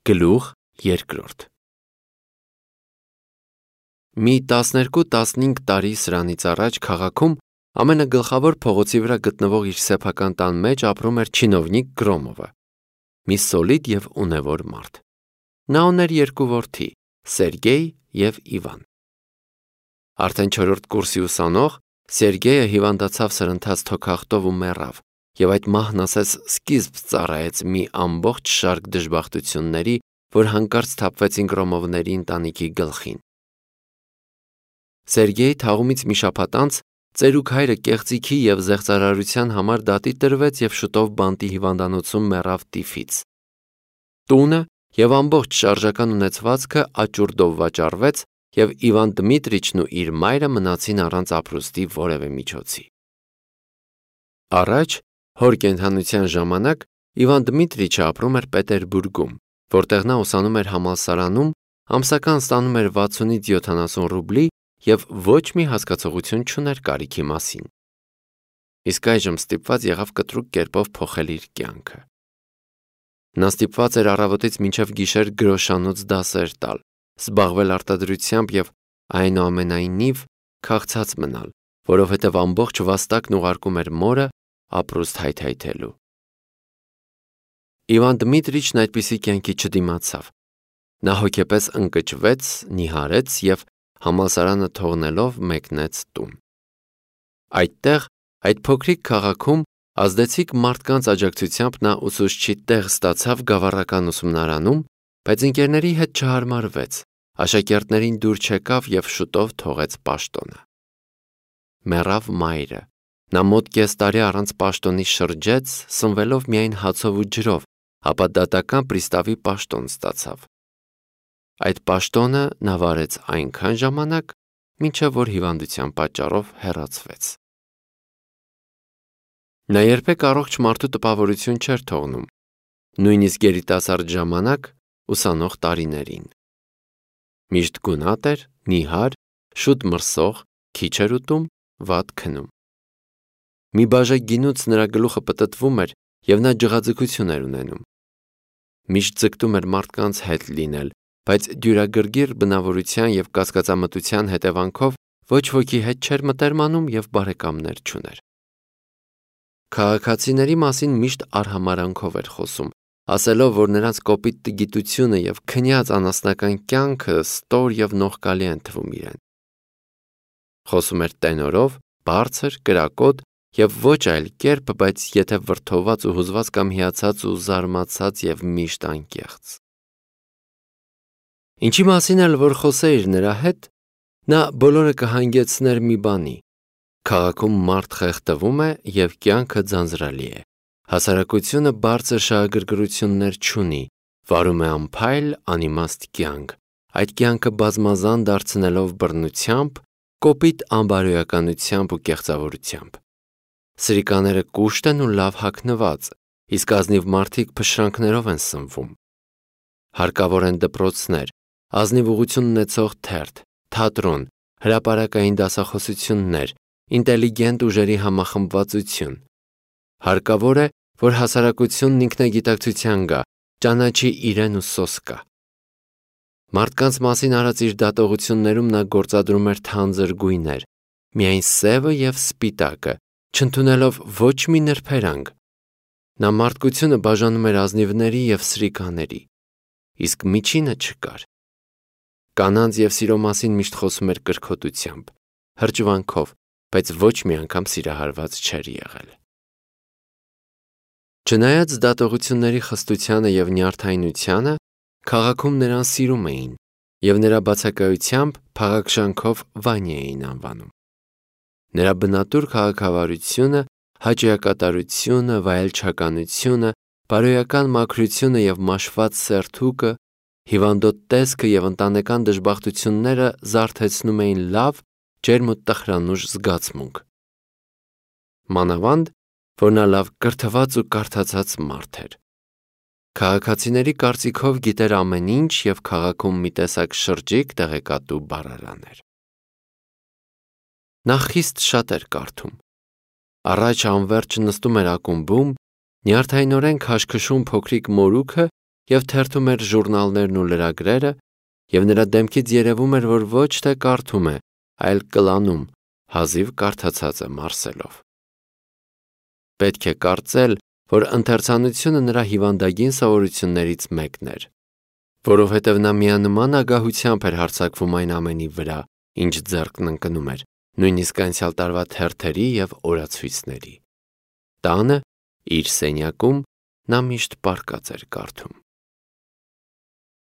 Գլուխ 2 Մի 12-15 տարի սրանից առաջ քաղաքում ամենագլխավոր փողոցի վրա գտնվող իր սեփական տան մեջ ապրում էր չինովնիկ Գրոմովը, մի սոլիդ և ունևոր մարդ։ Նա ուներ 2 որդի՝ Սերգեյ և Իվան։ Արդեն 4-րդ կուրսի ուսանող Սերգեյը հիվանդացավ սրընթաց թոքախտով ու մեռավ, և այդ մահն ասես սկիզբ ծառայեց մի ամբողջ շարք դժբախտությունների, որ հանկարծ թափվեցին Գրոմովների ընտանիքի գլխին։ Սերգեյի թաղումից մի շաբաթ անց ծերուկ հայրը կեղծիքի և զեղծարարության համար դատի տրվեց և շուտով բանտի հիվանդանոցում մեռավ տիֆից։ Տունը և ամբողջ շարժական ունեցվածքը աճուրդով վաճառվեց, և Իվան Դմիտրիչն ու իր մայրը մնացին առանց ապրուստի որևէ միջոցի։ Առաջ, հոր կենդանության ժամանակ, Իվան Դմիտրիչը ապրում էր Պետերբուրգում, որտեղ նա ուսանում էր համալսարանում, ամսական ստանում էր 60-ից 70 ռուբլի և ոչ մի հասկացողություն չուներ կարիքի մասին։ Իսկ այժմ ստիպված եղավ կտրուկ կերպով փոխել իր կյանքը։ Նա ստիպված էր առավոտից մինչև գիշեր գրոշանոց դասեր տալ, զբաղվել արտադրությամբ և այնուամենայնիվ քաղցած մնալ, որովհետև ամբողջ վաստակն ուղարկում էր մորը ապրուստ հայթայթելու։ Իվան Դմիտրիչն այդպիսի կյանքի չդիմացավ։ Նա հոգեպես ընկճվեց, նիհարեց և համալսարանը թողնելով մեկնեց տուն։ Այդտեղ, այդ փոքրիկ քաղաքում, ազդեցիկ մարդկանց աջակցությամբ նա ուսուցչի տեղ ստացավ գավառական ուսումնարանում, բայց ընկերների հետ չհարմարվեց, աշակերտներին դուր չեկավ և շուտով թողեց պաշտոնը։ Մեռավ մայրը։ Նա մոտ կես տարի առանց պաշտոնի շրջեց, սնվելով միայն հացով ու ջրով, ապա դատական պրիստավի պաշտոն ստացավ։ Այդ պաշտոնը նա վարեց այնքան ժամանակ, մինչև որ հիվանդության պատճառով հեռացվեց։ Նա երբեք առողջ մարդու տպավորություն չէր թողնում, նույնիսկ երիտասարդ ժամանակ ուսանող տարիներին։ Միշտ գունատ էր, նիհար, շուտ մրսող, քիչ էր ուտում, վատ քնում։ Մի բաժակ գինուց նրա գլուխը պտտվում էր, և նա ջղաձգություն էր ունենում։ Միշտ ձգտում էր մարդկանց հետ լինել, բայց դյուրագրգիռ բնավորության և կասկածամտության հետևանքով ոչ ոքի հետ չէր մտերմանում և բարեկամներ չուներ։ Քաղաքացիների մասին միշտ արհամարհանքով էր խոսում, ասելով, որ նրանց կոպիտ տգիտությունը և քնյաց անասնական կյանքը ստոր և նողկալի են թվում իրեն։ Խոսում էր տենորով, բարձր, կրակոտ և ոչ այլ կերպ, բայց եթե վրդոված ու հուզված կամ հիացած ու զարմացած և միշտ անկեղծ։ Ինչի մասին էլ որ խոսեիր նրա հետ, նա բոլորը կհանգեցներ մի բանի. քաղաքում մարդ խեղդվում է և կյանքը ձանձրալի է, հասարակությունը բարձր շահագրգռություններ չունի, վարում է անփայլ, անիմաստ կյանք, այդ կյանքը բազմազան դարձնելով բռնությամբ, կոպիտ անբարոյականությամբ ու կեղծավորությամբ։ Սրիկաները կուշտ են ու լավ հագնված, իսկ ազնիվ մարդիկ փշրանքներով են սնվում։ Հարկավոր են դպրոցներ, ազնիվ ուղղություն ունեցող թերթ, թատրոն, հրապարակային դասախոսություններ, ինտելիգենտ ուժերի համախմբվածություն։ Հարկավոր է, որ հասարակությունն ինքնագիտակցության գա, ճանաչի իրեն ու սոսկա։ Մարդկանց մասին արած իր դատողություններում նա գործադրում էր թանձր գույներ, միայն սևը և սպիտակը, չընդունելով ոչ մի նրբերանգ։ Նա մարդկությունը բաժանում էր ազնիվների և սրիկաների, իսկ միջինը չկար։ Կանանց և սիրո մասին միշտ խոսում էր կրքոտությամբ, հրճվանքով, բայց ոչ մի անգամ սիրահարված չէր եղել։ Չնայած դատողությունների խստությանը և նյարդայնությանը, քաղաքում նրան սիրում էին, և նրա բացակայությամբ փաղաքշանքով Վանյա էին անվանում։ Նրա բնատուր քաղաքավարությունը, հաճոյակատարությունը, վայելչականությունը, բարոյական մաքրությունը և մաշված սերթուկը, հիվանդոտ տեսքը և ընտանեկան դժբախտությունները զարթեցնում էին լավ, ջերմ ու տխրանուժ զգացմունք։ Մանավանդ, որ նա լավ կրթված ու կարդացած մարդ էր։ Քաղաքացիների կարծիքով գիտեր ամեն ինչ և քաղաքում մի տեսակ շրջիկ տեղեկատու բառարան էր։ Նա խիստ շատ էր կարդում։ Առաջ անվերջ նստում էր ակումբում, նյարդայնորեն քաշքշում փոքրիկ մորուքը և թերթում էր ժուրնալներն ու լրագրերը, և նրա դեմքից երևում էր, որ ոչ թե կարդում է, այլ կլանում, հազիվ կարդացածը մարսելով։ Պետք է կարծել, որ ընթերցանությունը նրա հիվանդագին սովորություններից մեկն էր, որովհետև նա միանման ագահությամբ էր հարձակվում այն ամենի վրա, ինչ ձեռքն ընկնում էր, նույնիսկ անցյալ տարվա թերթերի և օրացույցների։ Տանը, իր սենյակում, նա միշտ պառկած էր կարդում։